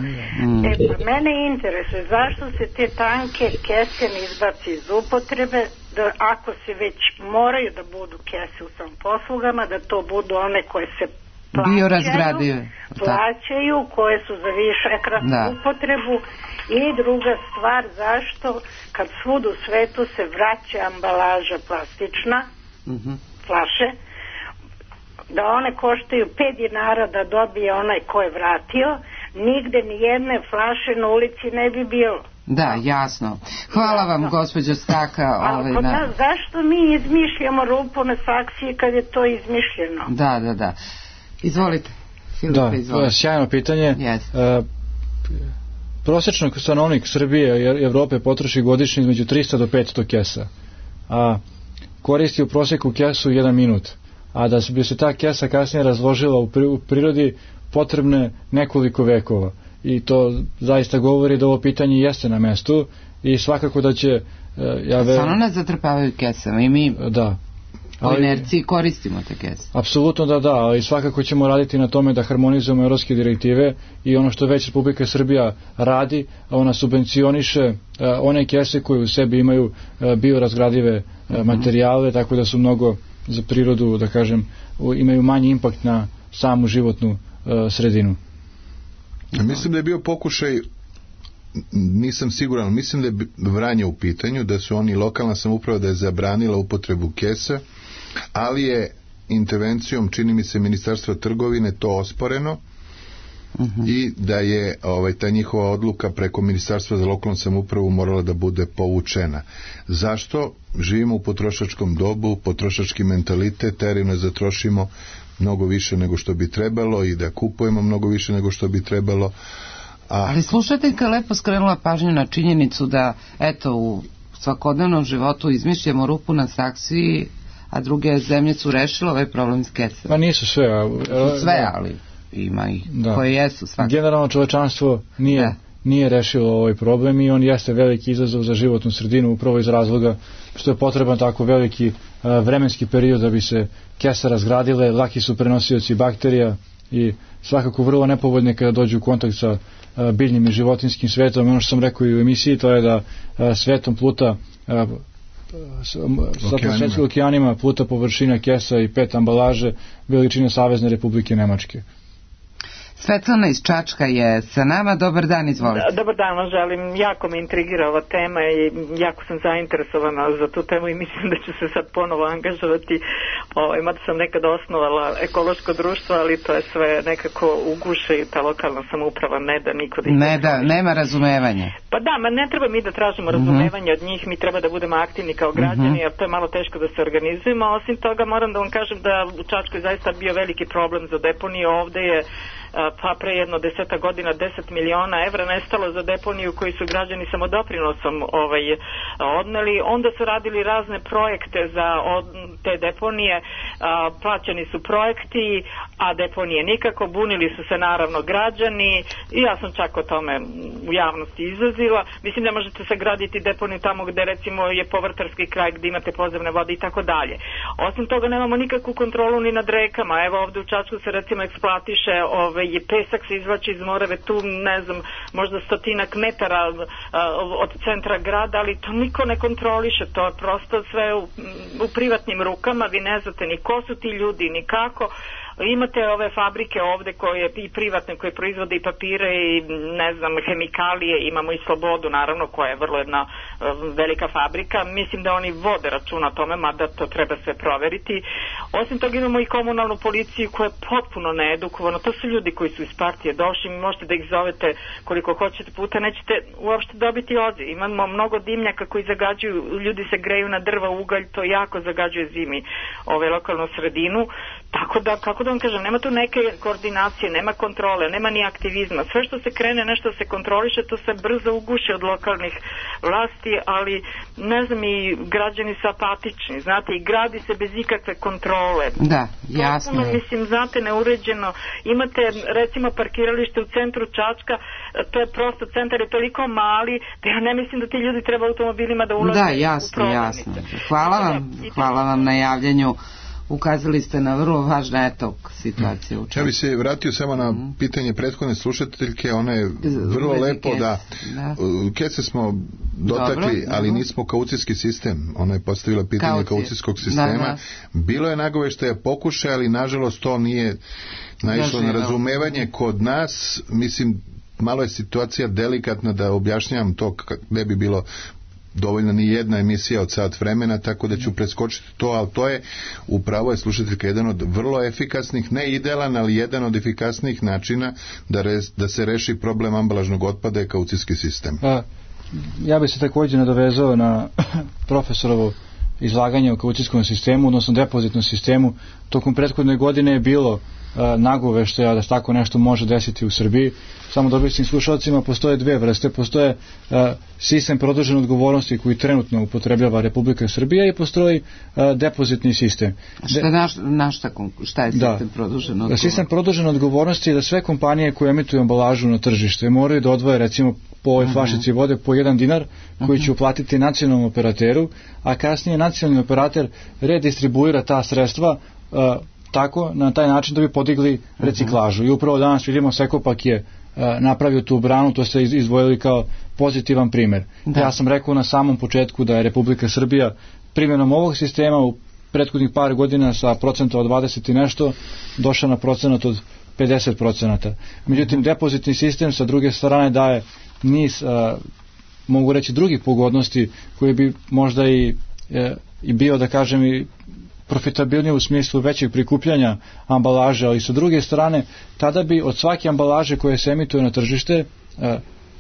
Pa mene interesuje zašto se te tanke kese ne izbaci iz upotrebe, da ako se već moraju da budu kese u samoposlugama, da to budu one koje se plaćaju, koje su za višekratnu upotrebu. I druga stvar, zašto kad svud u svetu se vraća ambalaža plastična, flaše, da one koštaju 5 dinara da dobije onaj ko je vratio, nigde ni jedne flaše na ulici ne bi bilo. Da, jasno. Hvala vam, gospođo Staka. Zašto mi izmišljamo rupu na saksiji kad je to izmišljeno? Da. Izvolite. Da, sjajno pitanje. Prosječno stanovnik Srbije i Evrope potroši godišnje između 300 do 500 kesa, a koristi u prosjeku kesu 1 minut. A da bi se ta kesa kasnije razložila u prirodi potrebne nekoliko vekova. I to zaista govori da ovo pitanje jeste na mestu i svakako da će... Stvarno nas zatrpavaju kesama i mi u inerciji koristimo te kese. Apsolutno da, ali svakako ćemo raditi na tome da harmonizujemo evropske direktive i ono što već Republika Srbija radi, ona subvencioniše one kese koje u sebi imaju biorazgradive materijale, tako da su mnogo za prirodu, da kažem, imaju manji impakt na samu životnu sredinu. Mislim da je bio pokušaj, nisam siguran, mislim da je Vranje u pitanju, da su oni, lokalna samouprava, da je zabranila upotrebu kesa, ali je intervencijom, čini mi se, Ministarstva trgovine to osporeno i da je ta njihova odluka preko Ministarstva za lokalnu samoupravu morala da bude povučena. Zašto? Živimo u potrošačkom dobu, potrošački mentalitet terino da trošimo mnogo više nego što bi trebalo i da kupujemo mnogo više nego što bi trebalo. Ali slušateljka je lepo skrenula pažnju na činjenicu da u svakodnevnom životu izmišljamo rupu na saksiji, a druge zemlje su rešile ovaj problem s kesama. Pa nisu sve. Sve, ali ima ih koje jesu svakako. Generalno čovečanstvo nije rešilo ovaj problem i on jeste veliki izazov za životnu sredinu upravo iz razloga što je potreban tako veliki vremenski period da bi se kese razgradile, laki su prenosioci bakterija i svakako vrlo nepovoljne kada dođu u kontakt sa biljnim i životinskim svetom. Ono što sam rekao i u emisiji, to je da svetom pluta svetskim okeanima pluta površina kesa i 5 ambalaže veličine Savezne Republike Nemačke. Svetlana iz Čačka je sa nama. Dobar dan, izvolite. Dobar dan, želim. Jako me intrigira ova tema i jako sam zainteresovana za tu temu i mislim da ću se sad ponovo angažovati. Mada sam nekada osnovala ekološko društvo, ali to je sve nekako u guše i ta lokalna samouprava ne da niko da nema razumevanja. Pa da, ne treba mi da tražimo razumevanje od njih, mi treba da budemo aktivni kao građani, jer to je malo teško da se organizujemo. Osim toga moram da vam kažem da u Čačkoj zaista bio veliki problem za deponiju. Ovde je pa pre jedno 10 godina 10 miliona evra nestalo za deponiju koji su građani samodoprinosom odneli. Onda su radili razne projekte za te deponije, plaćani su projekti, a deponije nikako, bunili su se naravno građani i ja sam čak o tome u javnosti izlazila. Mislim, ne možete sagraditi deponiju tamo gde recimo je povrtarski kraj gde imate podzemne vode i tako dalje. Osim toga nemamo nikakvu kontrolu ni nad rekama. Evo ovde u Čačku se recimo eksploatiše pesak se izvlači iz Morave, tu ne znam, možda 100 metara od centra grada, ali to niko ne kontroliše, to je prosto sve u privatnim rukama, vi ne znate ni ko su ti ljudi, ni kako. Imate ove fabrike ovde koje i privatne koje proizvode i papire i ne znam hemikalije, imamo i Slobodu naravno koja je vrlo jedna velika fabrika, mislim da oni vode računa o tome, mada to treba sve proveriti. Osim toga imamo i komunalnu policiju koja je potpuno needukovana, to su ljudi koji su iz partije došli, možete da ih zovete koliko hoćete puta, nećete uopšte dobiti odziv. Imamo mnogo dimnjaka koji zagađuju, ljudi se greju na drva, ugalj, to jako zagađuje zimi lokalnu sredinu, tako da, kako da vam kažem, nema tu neke koordinacije, nema kontrole, nema ni aktivizma. Sve što se krene, nešto se kontroliše, to se brzo uguši od lokalnih vlasti, ali ne znam, i građani su apatični, znate, i gradi se bez ikakve kontrole. Da, jasno. Potpuno, mislim, znate, neuređeno. Imate, recimo, parkiralište u centru Čačka, to je prosto, centar je toliko mali, da ja ne mislim da ti ljudi treba automobilima da ulaze u prometnice. Da, jasno. Hvala vam na javljanju. Ukazali ste na vrlo važna situacije. Ja bih se vratio samo na pitanje prethodne slušateljke, ona je vrlo lepo da Kese smo dotakli, ali nismo kaucijski sistem. Ona je postavila pitanje kaucijskog sistema. Bilo je nagoveštaja pokušaja, ali nažalost to nije naišlo na razumevanje kod nas. Mislim, malo je situacija delikatna da objašnjavam to, ne bi bilo dovoljno ni jedna emisija od sat vremena, tako da ću preskočiti to, ali to je, upravo je slušateljka, jedan od vrlo efikasnih, ne idealan, ali jedan od efikasnijih načina da se reši problem ambalažnog otpada je kaucijski sistem. Ja bih se također nadovezao na profesorovo izlaganje o kaucijskom sistemu, odnosno depozitnom sistemu. Tokom prethodne godine je bilo nagoveštaja da tako nešto može desiti u Srbiji. Samo da objasnim slušalcima, postoje dve vrste. Postoje sistem produžene odgovornosti koji trenutno upotrebljava Republika Srbija i postoji depozitni sistem. Šta je sistem produžene odgovornosti? Sistem produžene odgovornosti je da sve kompanije koje emituju ambalažu na tržište moraju da odvoje, recimo, po ovoj flašici vode po 1 dinar koji će uplatiti nacionalnom operateru, a kasnije nacionalni operater redistribuira ta sredstva tako, na taj način da bi podigli reciklažu. I upravo danas vidimo Sekopak je napravio tu branu, to ste izdvojili kao pozitivan primjer. Ja sam rekao na samom početku da je Republika Srbija primjenom ovog sistema u prethodnih par godina sa procenta od 20 i nešto došla na procenat od 50%. Međutim, depozitni sistem sa druge strane daje niz, mogu reći, drugih pogodnosti koji bi možda i bio, da kažem, i profitabilnije u smislu većeg prikupljanja ambalaže, ali sa druge strane tada bi od svake ambalaže koje se emituje na tržište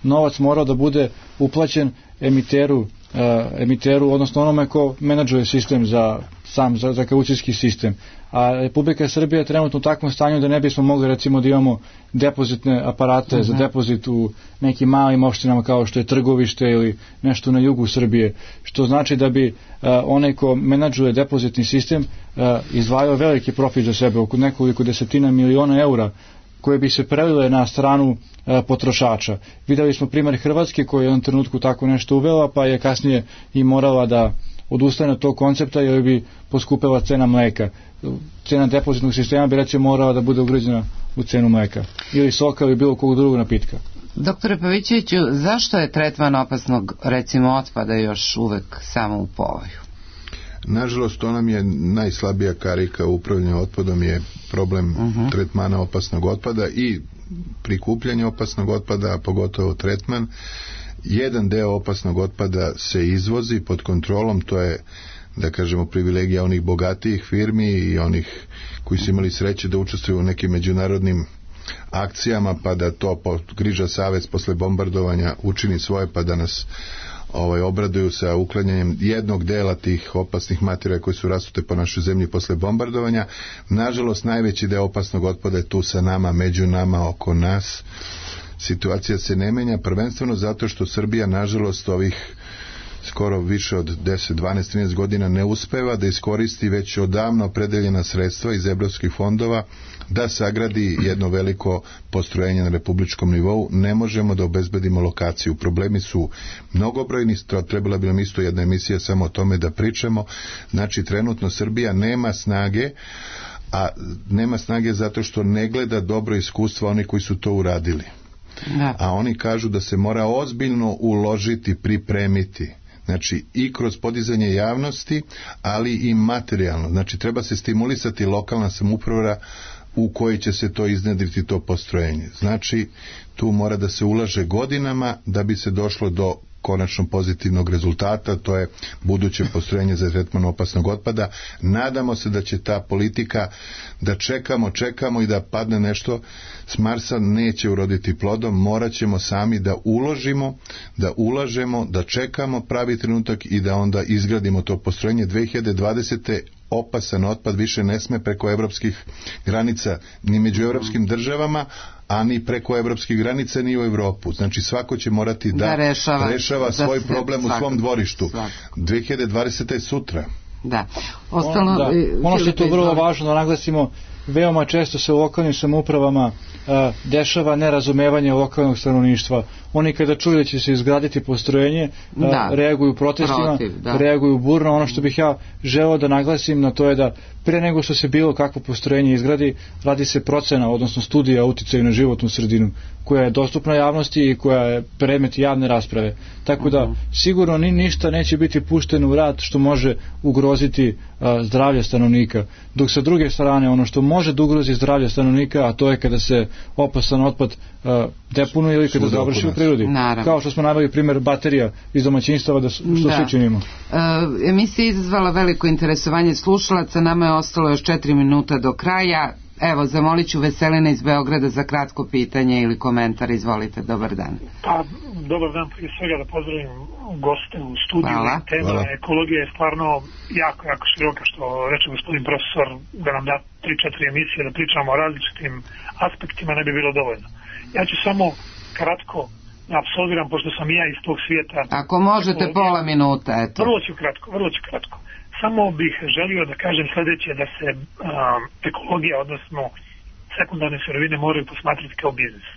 novac morao da bude uplaćen emiteru, odnosno onome ko menadžuje sistem za kaucijski sistem. A Republika Srbija je trenutno u takvom stanju da ne bismo mogli, recimo, da imamo depozitne aparate za depozit u nekim malim opštinama kao što je Trgovište ili nešto na jugu Srbije, što znači da bi onaj ko menadžuje depozitni sistem izdvajao veliki profit za sebe, oko nekoliko desetina miliona eura koje bi se prelile na stranu potrošača. Videli smo primjer Hrvatske koja je u jednom trenutku tako nešto uvela, pa je kasnije i morala da odustane od tog koncepta jer bi poskupela cena mleka. Cena depozitnog sistema bi, recimo, morala da bude ugrađena u cenu mleka ili soka ili bilo kog drugog napitka. Doktore Pavićeviću, zašto je tretman opasnog, recimo, otpada još uvek samo u povoju? Nažalost, to nam je najslabija karika u upravljanju otpadom je problem tretmana opasnog otpada i prikupljanja opasnog otpada, a pogotovo tretman. Jedan deo opasnog otpada se izvozi pod kontrolom, to je, da kažemo, privilegija onih bogatijih firmi i onih koji su imali sreće da učestvuju u nekim međunarodnim akcijama, pa da to Griža savez posle bombardovanja učini svoje, pa da nas obraduju sa uklanjanjem jednog dela tih opasnih materija koji su rasute po našoj zemlji posle bombardovanja. Nažalost, najveći deo opasnog otpada je tu sa nama, među nama, oko nas. Situacija se ne menja, prvenstveno zato što Srbija, nažalost, ovih skoro više od 10, 12, 13 godina ne uspeva da iskoristi već odavno opredeljena sredstva iz evropskih fondova da sagradi jedno veliko postrojenje na republičkom nivou. Ne možemo da obezbedimo lokaciju. Problemi su mnogobrojni, trebala bi nam isto jedna emisija samo o tome da pričamo. Znači, trenutno Srbija nema snage, a nema snage zato što ne gleda dobro iskustva oni koji su to uradili. Da. A oni kažu da se mora ozbiljno uložiti, pripremiti. Znači i kroz podizanje javnosti, ali i materijalno. Znači treba se stimulisati lokalna samouprava u kojoj će se to iznedriti, to postrojenje. Znači tu mora da se ulaže godinama da bi se došlo do konačno pozitivnog rezultata, to je buduće postrojenje za tretman opasnog otpada. Nadamo se da će ta politika, da čekamo i da padne nešto s Marsa, neće uroditi plodom. Morat ćemo sami da ulažemo, da čekamo pravi trenutak i da onda izgradimo to postrojenje. 2020. opasan otpad više ne sme preko evropskih granica, ni među evropskim državama, a ni preko evropskih granica, ni u Evropu. Znači svako će morati da rešava svoj problem u svom dvorištu. 2020. je sutra. Da. Ono što je tu vrlo važno da naglasimo, veoma često se u lokalnim samoupravama dešava nerazumevanje lokalnog stanovništva. Oni kada čuju da će se izgraditi postrojenje, reaguju protestima, reaguju burno. Ono što bih ja želeo da naglasim na to je da pre nego što se bilo kakvo postrojenje izgradi, radi se procena, odnosno studija o uticaju na životnu sredinu, koja je dostupna javnosti i koja je predmet javne rasprave. Tako da sigurno ništa neće biti pušteno u rad što može ugroziti zdravlje stanovnika. Dok sa druge strane ono što može da ugrozi zdravlje stanovnika, a to je kada se opasan otpad deponuje ili kada završi u prirodi. Naravno. Kao što smo naveli primjer baterija iz domaćinstava, što svi činimo. Emisija je izazvala veliko interesovanje slušalaca, nama je ostalo još 4 minuta do kraja. Evo, zamolit ću Veselina iz Beograda za kratko pitanje ili komentar. Izvolite, dobar dan. Pa, dobar dan, prije svega da pozdravim goste u studiju. Tema ekologije je stvarno jako široka, što reče gospodin profesor, da nam da 3-4 emisije da pričamo o različitim aspektima, ne bi bilo dovoljno. Ja ću samo kratko da apsolviram, pošto sam ja iz tog svijeta. Ako možete pola minuta, eto. Vrlo ću kratko. Samo bih želio da kažem sljedeće, da se ekologija, odnosno sekundarne sirovine, moraju posmatrati kao biznis.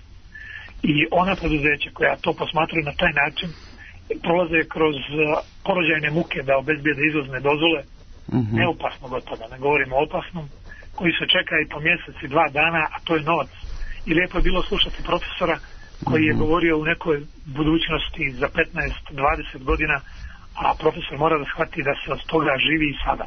I ona preduzeća koja to posmatraju na taj način prolaze kroz porođajne muke da obezbijede izvozne dozvole neopasnog otpada, ne govorimo o opasnom, koji se čeka i po mjesec i 2 dana, a to je novac. I lijepo je bilo slušati profesora koji je govorio u nekoj budućnosti za 15-20 godina, a profesor mora da shvati da se od toga živi i sada.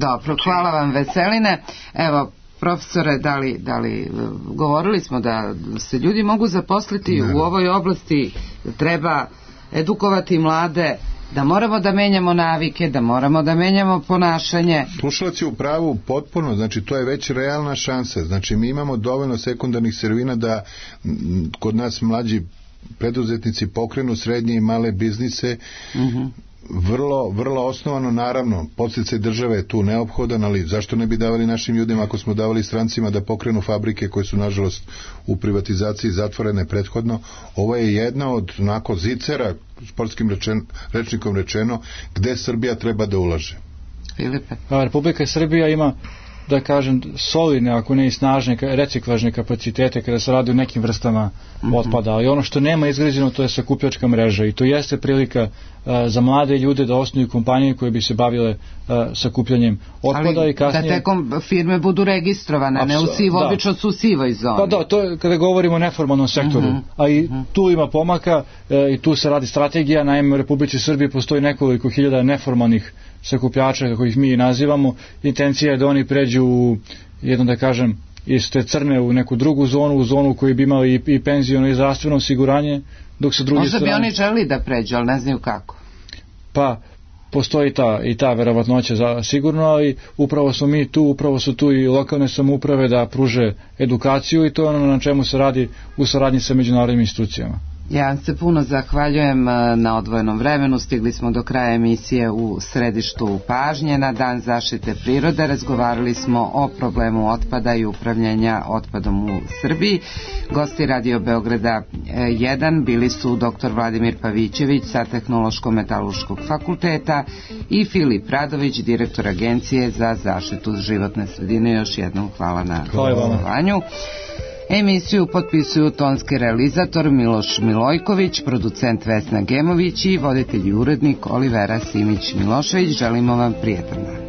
Dobro, hvala vam Veseline. Evo, profesore, da li govorili smo da se ljudi mogu zaposliti u ovoj oblasti, treba edukovati mlade, da moramo da menjamo navike, da moramo da menjamo ponašanje. Slušalac je u pravu potpuno, znači to je već realna šansa. Znači mi imamo dovoljno sekundarnih sirovina da kod nas mlađi preduzetnici pokrenu srednje i male biznise. Vrlo osnovano, naravno, podsticaj države je tu neophodan, ali zašto ne bi davali našim ljudima ako smo davali strancima da pokrenu fabrike koje su nažalost u privatizaciji prethodno. Ovo je jedna od onako zicera, sportskim rečnikom rečeno, gde Srbija treba da ulaže. Filipe. Republika Srbija ima, da kažem, solidne, ako ne i snažne reciklažne kapacitete kada se radi o nekim vrstama otpada, ali ono što nema izgrađeno, to je sakupljačka mreža i to jeste prilika za mlade ljude da osnuju kompanije koje bi se bavile sakupljanjem otpada. Ali i kasnije, da te firme budu registrovane, ne u obično su u sivoj zoni. Pa da, to je kada govorimo o neformalnom sektoru, a i tu ima pomaka i tu se radi strategija. Naime, u Republici Srbiji postoji nekoliko hiljada neformalnih sakupljača, kako ih mi nazivamo. Intencija je da oni pređu u jedno, da kažem, iz te crne u neku drugu zonu, u zonu koju bi imali i penziono i zdravstveno osiguranje, dok sa druge strane... Možda bi oni želi da pređu, ali ne znaju kako. Pa, postoji ta verovatnoća sigurno, ali upravo smo mi tu, upravo su tu i lokalne samouprave da pruže edukaciju i to je ono na čemu se radi u saradnji sa međunarodnim institucijama. Ja se puno zahvaljujem na odvojenom vremenu. Stigli smo do kraja emisije u središtu pažnje. Na Dan zaštite prirode razgovarali smo o problemu otpada i upravljanja otpadom u Srbiji. Gosti Radio Beograda 1 bili su dr. Vladimir Pavićević sa Tehnološko-metalurškog fakulteta i Filip Radović, direktor Agencije za zaštitu životne sredine. Još jednom hvala na gostovanju. Emisiju potpisuju tonski realizator Miloš Milojković, producent Vesna Gemović i voditelj i urednik Olivera Simić Milošević. Želimo vam prijetan dan.